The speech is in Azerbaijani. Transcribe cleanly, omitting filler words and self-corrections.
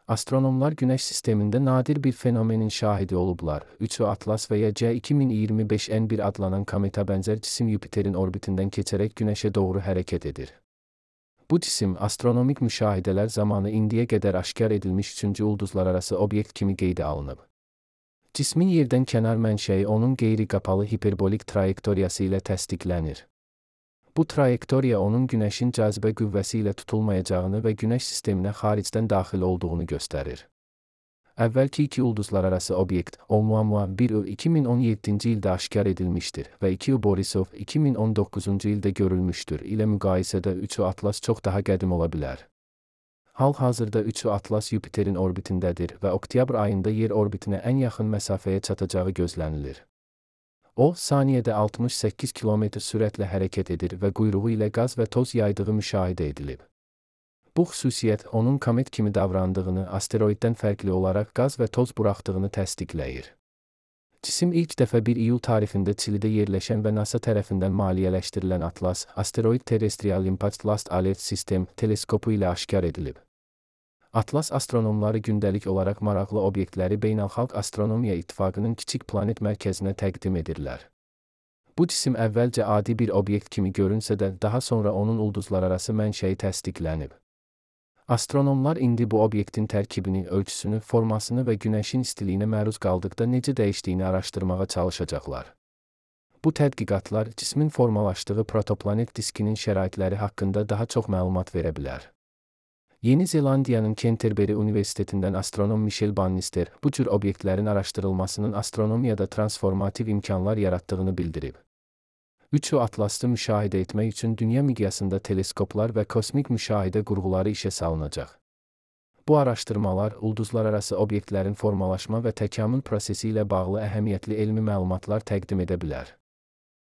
Astronomlar Güneş sistemində nadir bir fenomenin şahidi olublar. 3 Atlas və ya C2025N1 adlanan kometa bənzər cisim Yupiterin orbitindən keçərək Günəşə doğru hərəkət edir. Bu cisim astronomik müşahidələr zamanı indiyə qədər aşkar edilmiş üçüncü ulduzlararası obyekt kimi qeydə alınıb. Cismin yerdən kənar mənşəyi onun qeyri-qapalı hiperbolik trayektoriyası ilə təsdiqlənir. Bu trayektoriya onun Günəşin cazibə qüvvəsi ilə tutulmayacağını və Günəş sisteminə xaricdən daxil olduğunu göstərir. Əvvəlki iki ulduzlararası obyekt, Oumuamua 1 2017-ci ildə aşkar edilmişdir və 2 Borisov 2019-cu ildə görülmüşdür ilə müqayisədə 3 Atlas çox daha qədim ola bilər. Hal-hazırda 3 Atlas Yupiterin orbitindədir və oktyabr ayında yer orbitinə ən yaxın məsafəyə çatacağı gözlənilir. O, saniyədə 68 km sürətlə hərəkət edir və quyruğu ilə qaz və toz yaydığı müşahidə edilib. Bu xüsusiyyət onun komet kimi davrandığını, asteroiddən fərqli olaraq qaz və toz buraxdığını təsdiqləyir. Cisim ilk dəfə 1 iyul tarixində Çilidə yerləşən və NASA tərəfindən maliyyələşdirilən Atlas, Asteroid Terrestrial Impact Last Alert System teleskopu ilə aşkar edilib. Atlas astronomları gündəlik olaraq maraqlı obyektləri Beynəlxalq Astronomiya İttifaqının kiçik planet mərkəzinə təqdim edirlər. Bu cisim əvvəlcə adi bir obyekt kimi görünsə də, daha sonra onun ulduzlararası mənşəyi təsdiqlənib. Astronomlar indi bu obyektin tərkibini, ölçüsünü, formasını və Günəşin istiliyinə məruz qaldıqda necə dəyişdiyini araşdırmağa çalışacaqlar. Bu tədqiqatlar cismin formalaşdığı protoplanet diskinin şəraitləri haqqında daha çox məlumat verə bilər. Yeni Zelandiyanın Canterbury Universitetindən astronom Michel Bannister bu cür obyektlərin araşdırılmasının astronomiyada transformativ imkanlar yaratdığını bildirib. 3 Atlas'ı müşahidə etmək üçün dünya miqyasında teleskoplar və kosmik müşahidə qurğuları işə salınacaq. Bu araşdırmalar ulduzlararası obyektlərin formalaşma və təkamül prosesi ilə bağlı əhəmiyyətli elmi məlumatlar təqdim edə bilər.